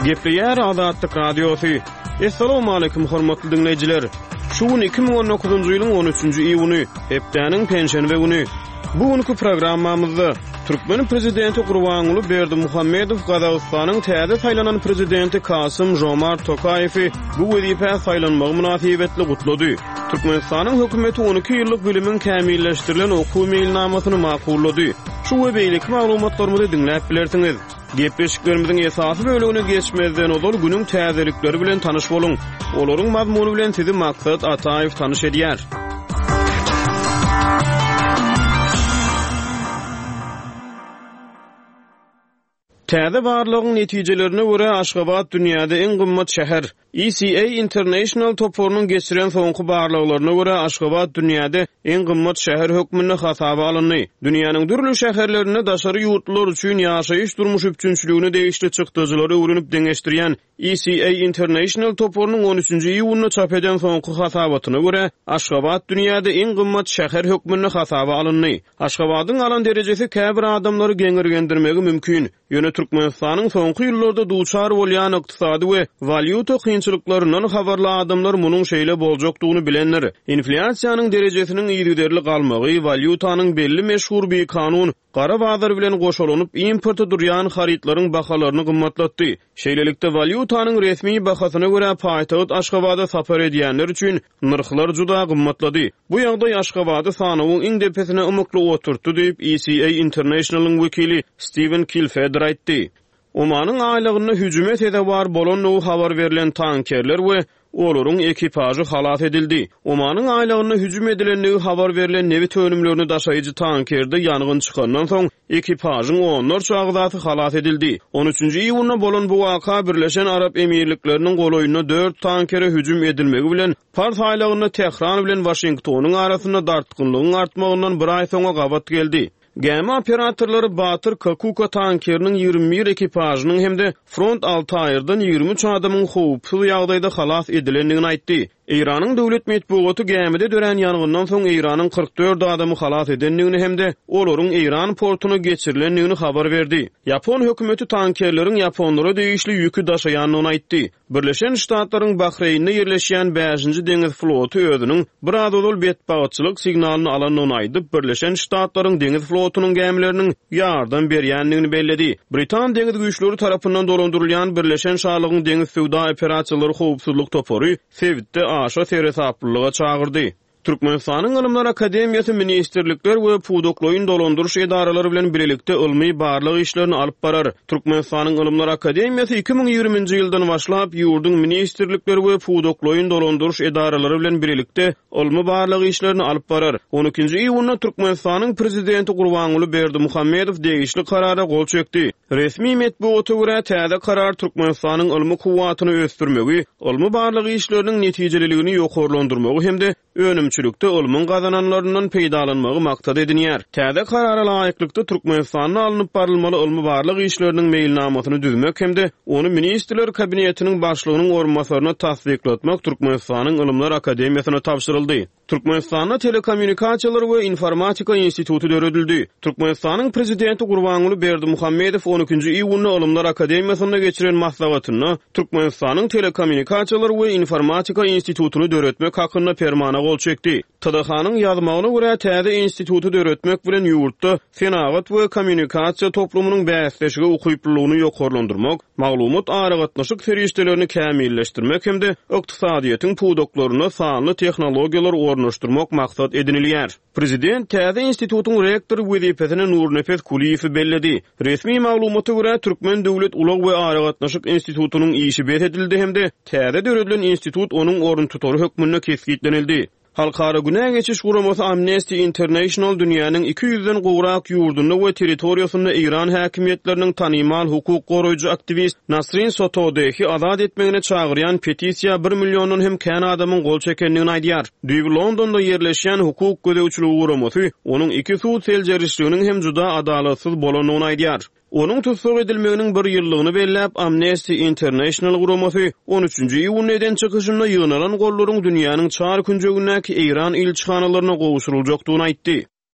Gepleýär Azatlyk Radiosy. Assalamualaikum hormatly diňleýjiler. Şu gün 2019-njy ýylyň 13-nji iýuny, hepdäniň penşenbe güni. Bu günki programmamyzda türkmen prezidenti Gurbanguly Berdimuhamedow Gazagystanyň täze saýlanan prezidenti Kasym Žomart Tokaýewi bu wezipä saýlanmagy mynasybetli gutlady. Türkmenistanyň hökümeti 12 ýyllyk bilimiň kämilleşdirilen okuw meýilnamasyny makullady. Şu we beýleki maglumatlarymyzy diňläp bilersiňiz. Gepleşiklerimiziň esasy bölegine geçmezden ozal günüň täzelikleri bilen tanyş boluň. Olaryň mazmuny bilen sizi Maksat Ataýew tanyş edýär. Täze barlagyň netijelerine görä, Aşgabat dünýäde iň gymmat şäher. ECA International toparynyň geçiren soňky barlaglaryna görä, Aşgabat dünýäde iň gymmat şäher hökmünde hasaba alyndy. Dünýäniň dürli şäherlerinde daşary ýurtlular üçin ýaşaýyş-durmuş üpjünçiligine degişli çykdajylary öwrenip deňeşdirýän ECA International toparynyň on üçünji iýunda çap eden soňky hasabatyna görä, Aşgabat dünýäde iň gymmat şäher hökmünde hasaba alyndy. Aşgabadyň alan derejesi käbir adamlary geňirgendirmegi mümkin. Ýöne Türkmenistanyň soňky ýyllarda duçar bolýan ykdysady we walýuta kynçylyklaryndan habarly adamlar munuň şeýle boljakdygyny bilendir. Inflýasiýanyň derejesiniň yzygiderli galmagy, walýutanyň belli meşhur bikanun gara bazar bilen goşalanyp importa durýan harytlaryň bahalaryny gymmatlatdy. Şeýlelikde, walýutanyň resmi bahasyna görä paýtagt Aşgabada sapar edýänler üçin nyrhlar juda gymmatlady. Bu ýagdaý Aşgabady sanawyň iň depesine ymykly oturtdy diýip, ECA International-yň wekili Stiwen Kilfeder aýtdy. Omanyň aýlagynda hüjüme sezewar bolandygy habar berlen tankerler we Olaryň ekipažy halas edildi. Omanyň aýlagynda hüjüm edilendigi habar berlen nebit önümlerini daşaýjy tankerde ýangyn çykandan soň, ekipažyň onlarça agzasy halas edildi. On üçünji iýunda bolan bu waka Birleşen Arap Emirlikleriniň golaýynda dört tankere hüjüm edilmegi bilen Pars aýlagynda Tähran bilen Waşingtonyň arasynda dartgynlygyň artmagyndan bir aý soňa gabat geldi. Gämi operatorlary Batyr Kakuka tankeriniň 21 ekipažynyň hem-de Front Altairden 23 adamyň howpsuz ýagdaýda halas edilendigini aýtdy. Eýranyň döwlet metbugaty gämide dörän ýangyndan soň Eýranyň 44 adamy halas edendigini hem-de olaryň eýran portuna geçirilendigini habar berdi. Ýapon hökümeti tankerleriň ýaponlara degişli ýüki daşaýandygyny aýtdy. Birleşen Ştatlaryň Bahreýnde ýerleşýän Bäşinji deňiz floty özüniň biraz ozal betbagtçylyk signalyny alandygyny aýdyp, Birleşen Ştatlaryň deňiz flotunyň gämileriniň ýardam berýändigini belledi. Britan deňiz güýçleri tarapyndan dolandyrylýan Birleşen Şalygyň deňiz söwda operasiýalary howpsuzlyk topary sebitde aşa seresaplylyga çagyrdy. Türkmenistanyň Ylymlar akademiýasy ministrlikler we pudaklaýyn dolandyryş edaralary bilen bilelikde ylmy-barlag işlerini alyp barar. Türkmenistanyň Ylymlar akademiýasy 2020-nji ýyldan başlap, ýurduň ministrlikleri we pudaklaýyn dolandyryş edaralary bilen bilelikde ylmy-barlag işlerini alyp barar. On ikinji iýunda Türkmenistanyň Prezidenti Gurbanguly Berdimuhamedow degişli Karara gol çekdi. Resmi metbugata görä, täze karar Türkmenistanyň ylmy kuwwatyny ösdürmegi, ylmy-barlag işleriniň netijeliligini ýokarlandyrmagy hem-de önümçilikde ylmyň gazananlaryndan peýdalanmagy maksat edinýär. Täze Karara laýyklykda, Türkmenistanda alnyp barylmaly ylmy-barlag işleriniň meýilnamasyny düzmek hem-de ony Ministrler Kabinetiniň Başlygynyň orunbasaryna tassyklatmak Türkmenistanyň Ylymlar akademiýasyna tabşyryldy. Türkmenistanda Telekommunikasiýalar we informatika instituty döredildi. Türkmenistanyň Prezidenti Gurbanguly Berdimuhamedow on ikinji iýunda Ylymlar akademiýasynda geçiren maslahatynda Türkmenistanyň Telekommunikasiýalar we informatika institutyny döretmek hakynda Permana gol çekdi. TDH-nyň ýazmagyna görä, täze instituty döretmek bilen ýurtda senagat we kommunikasiýa toplumynyň bäsleşige ukyplylygyny ýokarlandyrmak, maglumat-aragatnaşyk serişdelerini kämilleşdirmek hem-de ykdysadyýetiň pudaklarynda sanly tehnologiýalary ornaşdyrmak maksat edinilýär. Prezident täze institutyň rektory wezipesine Nurnepes Kulyýewi belledi. Resmi maglumata görä, Türkmen döwlet ulag we aragatnaşyk institutynyň işi bes edildi hem-de täze döredilen institut onuň oruntutary hökmünde kesgitlenildi. Halkara günä geçiş guramasy Amnesty International dünýäniň 200-den gowrak ýurdunda we territoriýasynda eýran häkimiýetleriniň tanymal hukuk goraýjy aktiwist Nasrin Sotodehi azat etmegine çagyrýan petisiýa bir milliondan hem kän adamyň gol çekendigini aýdýar. Düýbi Londonda ýerleşýän hukuk gözegçiligi guramasy onuň iki sud seljerişliginiň hem juda adalatsyz bolandygyny aýdýar. Onuň tussag edilmeginiň bir ýyllygyny belläp, Amnesty International guramasy on üçünji iýunda eden çykyşynda ýygnalan gollaryň dünýäniň çar künjegindäki eýran ilçihanalaryna gowşuryljakdygyny aýtdy.